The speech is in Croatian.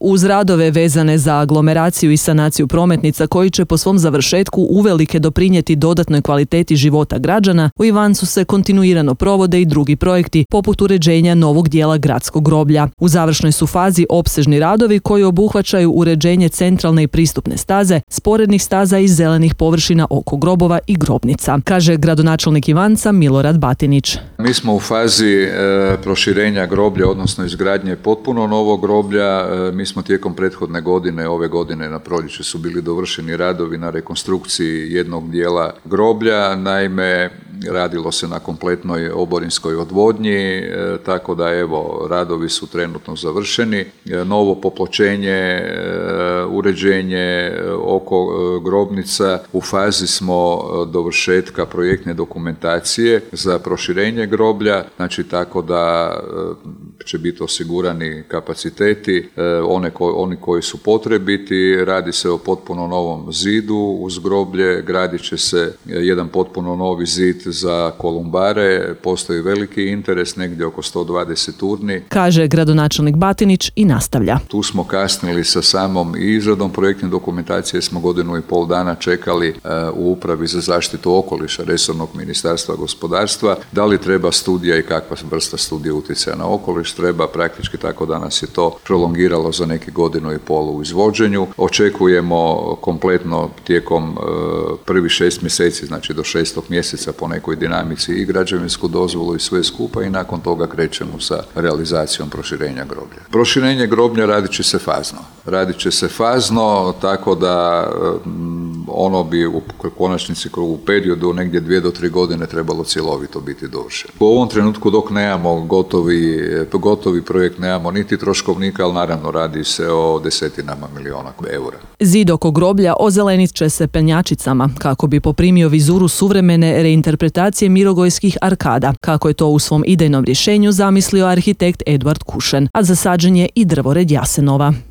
Uz radove vezane za aglomeraciju i sanaciju prometnica koji će po svom završetku uvelike doprinijeti dodatnoj kvaliteti života građana, u Ivancu se kontinuirano provode i drugi projekti, poput uređenja novog dijela gradskog groblja. U završnoj su fazi opsežni radovi koji obuhvaćaju uređenje centralne i pristupne staze, sporednih staza i zelenih površina oko grobova i grobnica, kaže gradonačelnik Ivanca Milorad Batinić. Mi smo u fazi proširenja groblja, odnosno izgradnje potpuno novog groblja. Mi smo tijekom prethodne godine, ove godine na proljeće su bili dovršeni radovi na rekonstrukciji jednog dijela groblja. Naime, radilo se na kompletnoj oborinskoj odvodnji, tako da evo, radovi su trenutno završeni. Novo popločenje, uređenje oko grobnica, u fazi smo dovršetka projektne dokumentacije za proširenje groblja, znači tako da će biti osigurani kapaciteti, oni koji su potrebiti. Radi se o potpuno novom zidu uz groblje, gradit će se jedan potpuno novi zid za kolumbare, postoji veliki interes, negdje oko 120 urni, kaže gradonačelnik Batinić i nastavlja. Tu smo kasnili sa samom izradom projektne dokumentacije, smo 1,5 godina čekali u Upravi za zaštitu okoliša resornog Ministarstva gospodarstva. Da li treba studija i kakva vrsta studije utjecaja na okoliš treba, praktički tako danas je to prolongiralo za neki 1,5 godinu u izvođenju. Očekujemo kompletno tijekom prvih 6 mjeseci, znači do 6. mjeseca po nekoj dinamici i građevinsku dozvolu i sve skupa i nakon toga krećemo sa realizacijom proširenja groblja. Proširenje groblja radit će se fazno, tako da ono bi u konačnici u periodu negdje 2 do 3 godine trebalo cjelovito biti dovršeno. U ovom trenutku dok nemamo gotovi projekt, nemamo niti troškovnika, ali naravno radi se o desetinama milijuna eura. Zid oko groblja ozelenit će se penjačicama kako bi poprimio vizuru suvremene reinterpretacije mirogojskih arkada, kako je to u svom idejnom rješenju zamislio arhitekt Eduard Kušen, a zasađen je i drvored jasenova.